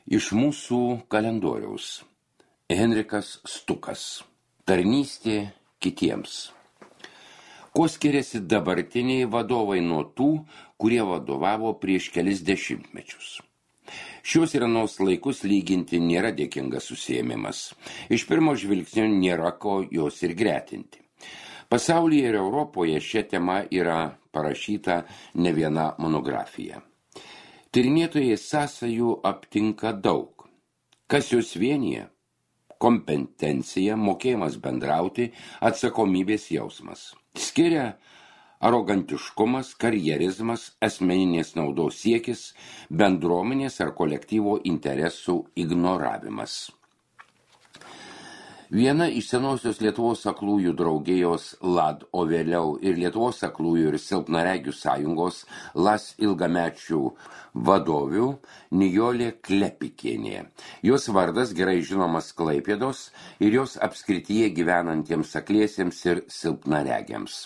Iš mūsų kalendoriaus. Henrikas Stukas. Tarnystė kitiems. Kuo skiriasi dabartiniai vadovai nuo tų, kurie vadovavo prieš kelis dešimtmečius? Šios ir anos laikus lyginti nėra dėkingas užsiėmimas. Iš pirmo žvilgsnio nėra ko jos ir gretinti. Pasaulyje ir Europoje šią temą yra parašyta ne viena monografija. Tyrinėtojai sąsajų aptinka daug. Kas jos vienyje? Kompetencija, mokėjimas bendrauti, atsakomybės jausmas. Skiria arogantiškumas, karjerizmas, asmeninės naudos siekis, bendruomenės ar kolektyvo interesų ignoravimas. Viena iš senosios Lietuvos aklųjų draugijos LAD, o vėliau ir Lietuvos aklųjų ir silpnaregių sąjungos LAS ilgamečių vadovių Nijolė Klepikienė. Jos vardas gerai žinomas Klaipėdos ir jos apskrityje gyvenantiems akliesiems ir silpnaregiams.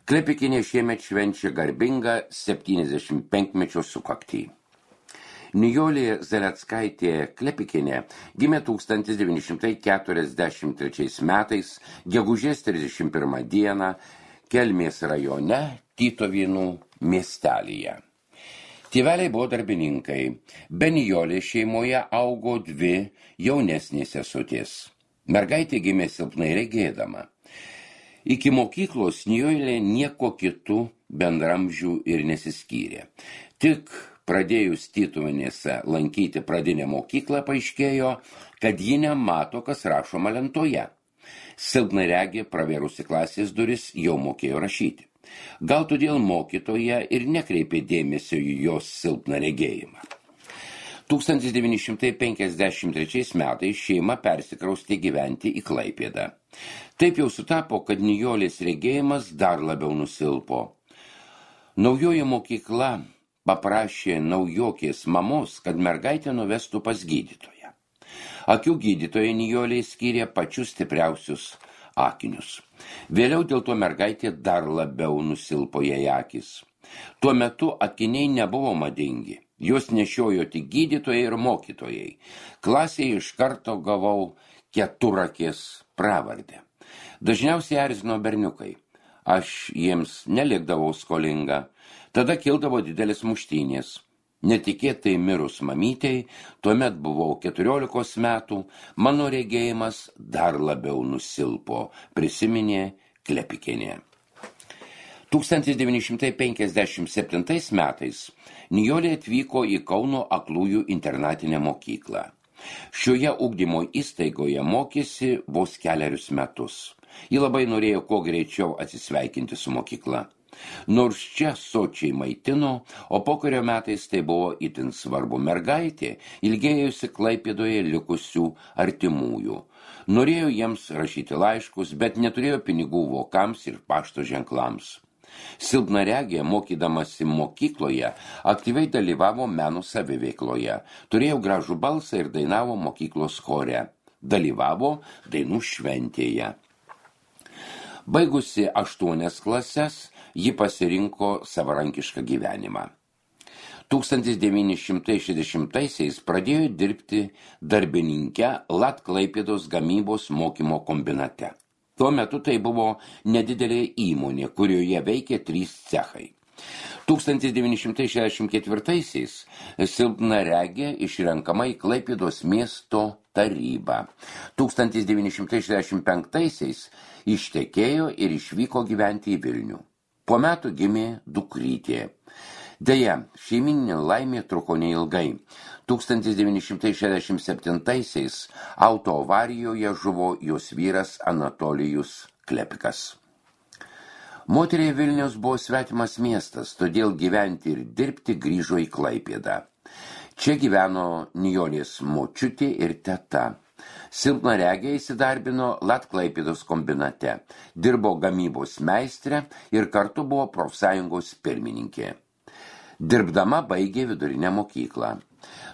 Klepikienė šiemet švenčia garbingą 75-mečio sukaktį. Nijolė Zaleckaitė Klepikienė gimė 1943 metais, gegužės 31 dieną, Kelmės rajone, Tytuvėnų miestelyje. Tėveliai buvo darbininkai. Be Nijolės šeimoje augo dvi jaunesnės sesutės. Mergaitė gimė silpnai regėdama. Iki mokyklos Nijolė nieko kitų bendramžių ir nesiskyrė. Tik pradėjus Tytuvėnėse lankyti pradinę mokyklą, paaiškėjo, kad ji nemato, kas rašoma lentoje. Silpnaregė pravėrusi klasės duris jau mokėjo rašyti. Gal todėl mokytoja ir nekreipė dėmesio į jos silpną regėjimą. 1953 metais šeima persikraustė gyventi į Klaipėdą. Taip jau sutapo, kad Nijolės regėjimas dar labiau nusilpo. Naujoji mokykla paprašė naujokės mamos, kad mergaitę nuvestų pas gydytoją. Akių gydytoja Nijolė skyrė pačius stipriausius akinius. Vėliau dėl to mergaitė dar labiau nusilpo jai akis. Tuo metu akiniai nebuvo madingi. Juos nešiojo tik gydytojai ir mokytojai. Klasėje iš karto gavau Keturakės pravardę. Dažniausiai erzino berniukai. Aš jiems nelikdavau skolinga. Tada kildavo didelis muštynės. Netikėtai mirus mamytei, tuomet buvau 14 metų, mano regėjimas dar labiau nusilpo, prisiminė Klepikienė. 1957 metais Nijolė atvyko į Kauno aklųjų internatinę mokyklą. Šioje ugdymo įstaigoje mokėsi vos kelerius metus. Ji labai norėjo kuo greičiau atsisveikinti su mokykla. Nors čia sočiai maitino, o pokario metais tai buvo itin svarbu, mergaitė ilgėjosi Klaipėdoje likusių artimųjų. Norėjo jiems rašyti laiškus, bet neturėjo pinigų vokams ir pašto ženklams. Silpnaregė, mokydamasi mokykloje, aktyviai dalyvavo meno saviveikloje, turėjo gražų balsą ir dainavo mokyklos chore, dalyvavo dainų šventėje. Baigusi 8 klases, ji pasirinko savarankišką gyvenimą. 1960-aisiais pradėjo dirbti darbininke LAD Klaipėdos gamybos mokymo kombinate. Tuo metu tai buvo nedidelė įmonė, kurioje veikė 3 cechai. 1964-aisiais silpnaregė išrenkama į Klaipėdos miesto tarybą. 1965-aisiais ištekėjo ir išvyko gyventi į Vilnių. Po metų gimė dukrytė. Deja, šeimyninė laimė truko neilgai. 1967-aisiais autoavarijoje žuvo jos vyras Anatolijus Klepikas. Moteriai Vilnius buvo svetimas miestas, todėl gyventi ir dirbti grįžo į Klaipėdą. Čia gyveno Nijolės močiutė ir teta. Silpnaregė įsidarbino LAD Klaipėdos kombinate, dirbo gamybos meistrė ir kartu buvo profsąjungos pirmininkė. Dirbdama baigė vidurinę mokyklą.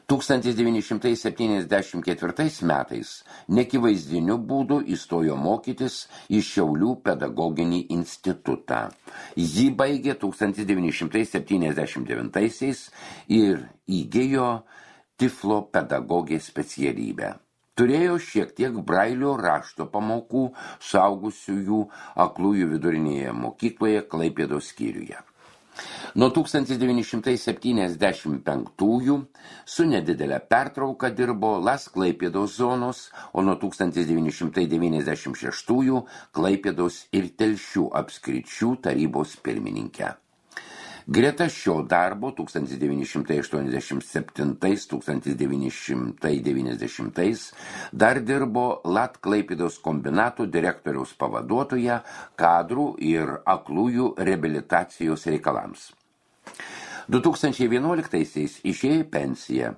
1974 metais nekivaizdiniu būdu įstojo mokytis į Šiaulių pedagoginį institutą. Jį baigė 1979 ir įgijo tiflo pedagogės specialybę. Turėjo šiek tiek brailio rašto pamokų suaugusiųjų aklųjų vidurinėje mokykloje Klaipėdos skyriuje. Nuo 1975 su nedidelė pertrauka dirbo Las Klaipėdos zonos, o nuo 1996 Klaipėdos ir Telšių apskričių tarybos pirmininkė. Greta šio darbo 1987–1990 dar dirbo Lat Klaipėdos kombinato direktoriaus pavaduotoja kadrų ir aklųjų reabilitacijos reikalams. 2011-aisiais išėjo į pensiją.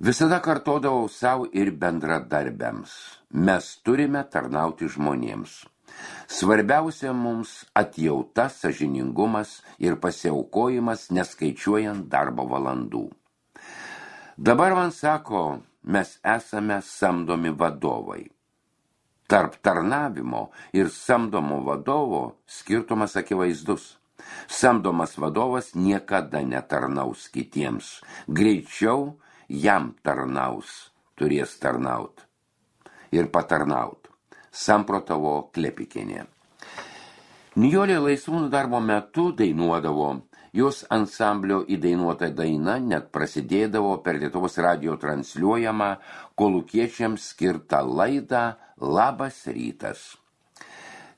Visada kartodavau savo ir bendradarbiams. Mes turime tarnauti žmonėms. Svarbiausia mums atjauta, sąžiningumas ir pasiaukojimas, neskaičiuojant darbo valandų. Dabar man sako, mes esame samdomi vadovai. Tarp tarnavimo ir samdomo vadovo skirtumas akivaizdus. Samdomas vadovas niekada netarnaus kitiems. Greičiau jam tarnaus, turės tarnaut ir patarnaut. Samprotavo Klepikienė. Nijolė laisvų darbo metu dainuodavo. Jos ansamblio įdainuota daina net prasidėdavo per Lietuvos radijo transliuojamą kolūkiečiams skirtą laidą Labas rytas.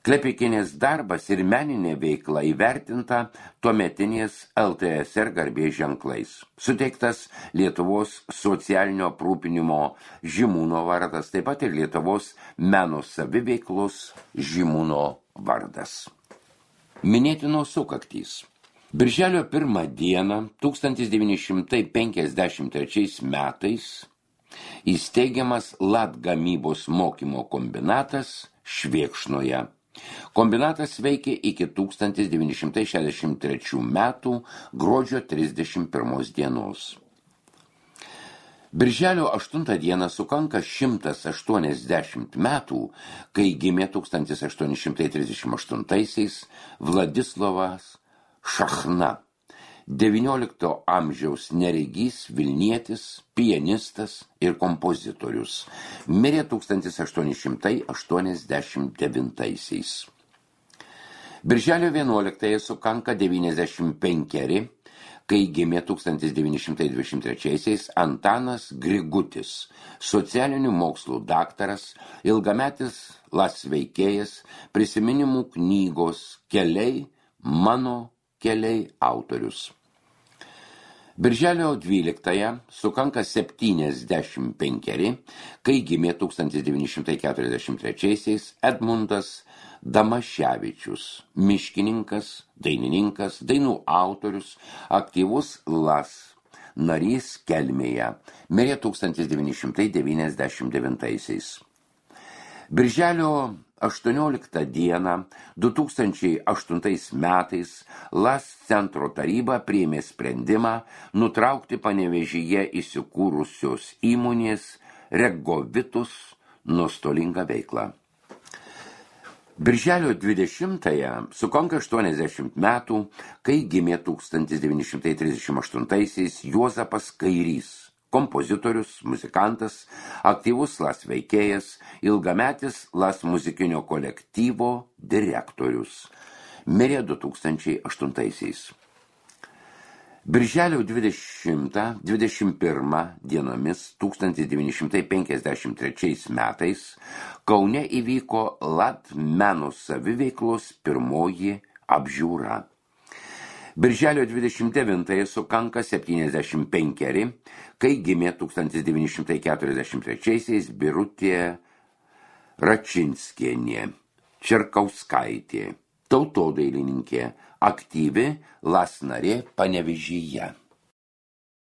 Klepikienės darbas ir meninė veikla įvertinta tuometinės LTSR garbės ženklais. Suteiktas Lietuvos socialinio aprūpinimo žymūno vardas, taip pat ir Lietuvos meno saviveiklos žymūno vardas. Minėtinos sukaktys. Birželio 1 dieną 1953 metais įsteigiamas Lat gamybos mokymo kombinatas Švėkšnoje. Kombinatas veikė iki 1963 metų gruodžio 31 dienos. Birželio 8 dieną sukanka 180 metų, kai gimė 1838-aisiais Vladislovas Šachna, XIX amžiaus neregys vilnietis, pianistas ir kompozitorius. Mirė 1889-aisiais. Birželio 11 sukanka 95, kai gimė 1923-aisiais Antanas Grigutis, socialinių mokslų daktaras, ilgametis Las veikėjas, prisiminimų knygos Keliai, mano keliai autorius. Birželio 12 sukanka 75, kai gimė 1943 Edmundas Damaševičius, miškininkas, dainininkas, dainų autorius, aktyvus Las narys Kelmėje, mirė 1999. Birželio 18 dieną 2008 metais Las centro taryba priėmė sprendimą nutraukti Panevėžyje įsikūrusios įmonės Regovitus nuostolingą veiklą. Birželio 20 sukanka 80 metų, kai gimė 1938 Juozapas Kairys, kompozitorius, muzikantas, aktyvus Las veikėjas, ilgametis Las muzikinio kolektyvo direktorius. Mirė 2008. Birželio 20–21 dienomis 1953 metais Kaune įvyko Lat meno saviveiklos pirmoji apžiūra. Birželio 29 sukanka 75, kai gimė 1943 Birutė Račinskienė, Čerkauskaitė, tautodailininkė, aktyvi Las narė Panevėžyje.